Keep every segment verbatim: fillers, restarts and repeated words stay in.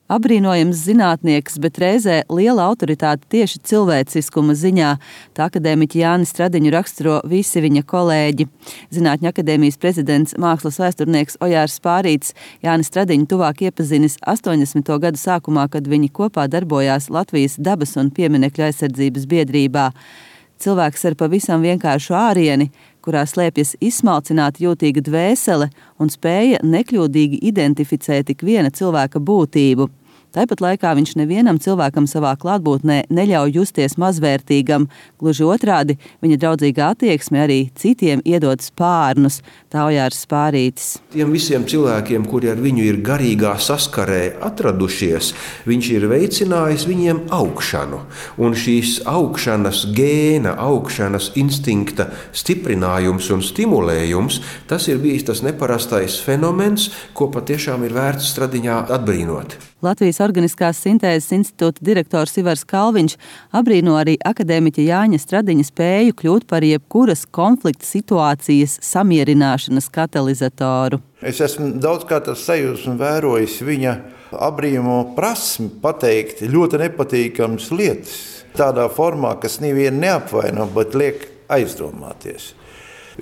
Apbrīnojams zinātnieks, bet reizē liela autoritāte tieši cilvēciskuma ziņā. Tā akadēmiķi Jāni Stradiņu raksturo visi viņa kolēģi. Zinātņu akadēmijas prezidents, mākslas vēsturnieks Ojārs Spārītis Jāni Stradiņu tuvāk iepazinis astoņdesmito gadu sākumā, kad viņi kopā darbojās Latvijas dabas un pieminekļu aizsardzības biedrībā. Cilvēks ar pavisam vienkāršu ārieni, kurā slēpjas izsmalcināta jūtīga dvēsele un spēja nekļūdīgi identificēt ik viena cilvēka būtību. Tāpat laikā viņš nevienam cilvēkam savā klātbūtnē neļauj justies mazvērtīgam, gluži otrādi, viņa draudzīga attieksme arī citiem iedod spārnus, tā Ojārs Spārītis. Tiem visiem cilvēkiem, kuri ar viņu ir garīgā saskarē atradušies, viņš ir veicinājis viņiem augšanu. Un šīs augšanas gēna, augšanas instinkta stiprinājums un stimulējums, tas ir bijis tas neparastais fenomens, ko patiešām ir vērts Stradiņā atbrīnot. Latvijas Organiskās sintēzes institūta direktors Ivars Kalviņš apbrīno arī akadēmiķa Jāņa Stradiņa spēju kļūt par jebkuras konflikta situācijas samierināšanas katalizatoru. Es esmu daudzkārt ar sajūsmu vērojis viņa apbrīno prasmi pateikt ļoti nepatīkamas lietas. Tādā formā, kas nevienu neapvaino, bet liek aizdomāties.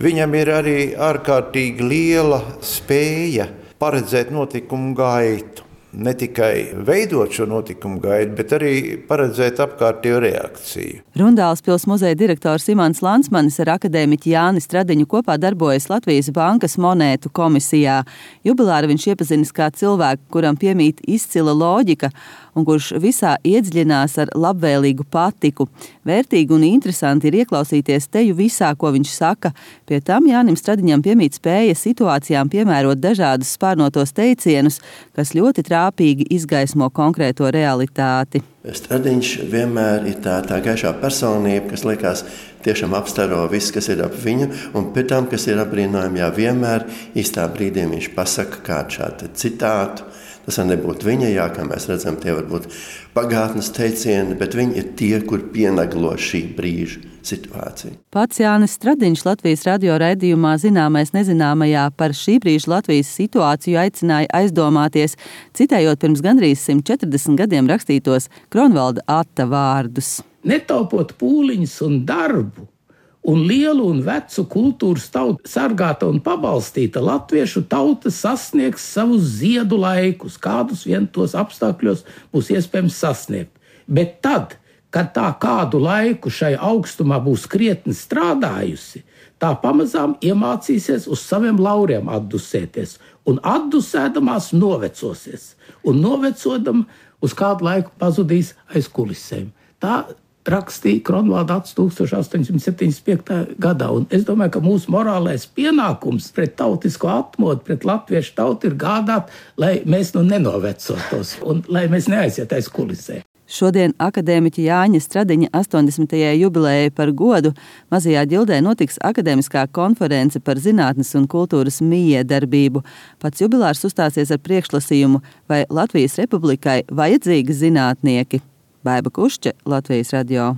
Viņam ir arī ārkārtīgi liela spēja paredzēt notikumu gaitu. Ne tikai veidot šo notikumu gaidu, bet arī paredzēt apkārtējo reakciju. Rundālspils muzeja direktors Imants Lansmanis ar akadēmiķi Jāni Stradiņu kopā darbojas Latvijas Bankas monētu komisijā. Jubilāri viņš iepazinis kā cilvēku, kuram piemīt izcila loģika un kurš visā iedziļinās ar labvēlīgu patiku. Vērtīgi un interesanti ir ieklausīties teju visā, ko viņš saka. Pie tam Jānim Stradiņam piemīt spēja situācijām piemērot dažādus spārnotos teicienus, kas ļoti trāpīgi izgaismo konkrēto realitāti. Stradiņš vienmēr ir tā, tā gaišā personība, kas liekas tiešām apstaro viss, kas ir ap viņu, un pēc tam, kas ir apbrīnojami, jā, vienmēr īstā brīdī viņš pasaka kādu šādu citātu. Tas var nebūt viņa, jā, kā mēs redzam, tie var būt pagātnes teicieni, bet viņi ir tie, kur pienaglo šī brīža situāciju. Pats Jānis Stradiņš Latvijas radio raidījumā Zināmais nezināmajā par šī brīža Latvijas situāciju aicināja aizdomāties, citējot pirms gandrīz simt četrdesmit gadiem rakstītos Kronvalda Atta vārdus. Netaupot pūliņus un darbu, un lielu un vecu kultūras tautu sargāta un pabalstīta latviešu tauta sasniegs savus ziedu laikus, kādus vien tos apstākļos būs iespējams sasniegt. Bet tad, kad tā kādu laiku šai augstumā būs krietni strādājusi, tā pamazām iemācīsies uz saviem lauriem atdusēties, un atdusēdamās novecosies, un novecodam uz kādu laiku pazudīs aiz kulisēm. Tā rakstīja Kronvalda Ats tūkstoš astoņsimt septiņdesmit piektajā gadā. Un es domāju, ka mūsu morālais pienākums pret tautisko atmodu, pret latviešu tautu ir gādāt, lai mēs nu nenovecotos un lai mēs neaiziet aiz kulisēm. Šodien akadēmiķa Jāņa Stradiņa astoņdesmitajai jubilejai par godu Mazajā ģildē notiks akadēmiskā konference par zinātnes un kultūras mijiedarbību. Pats jubilārs uzstāsies ar priekšlasījumu, vai Latvijas Republikai vajadzīgi zinātnieki. Baiba Kušķe, Latvijas radio.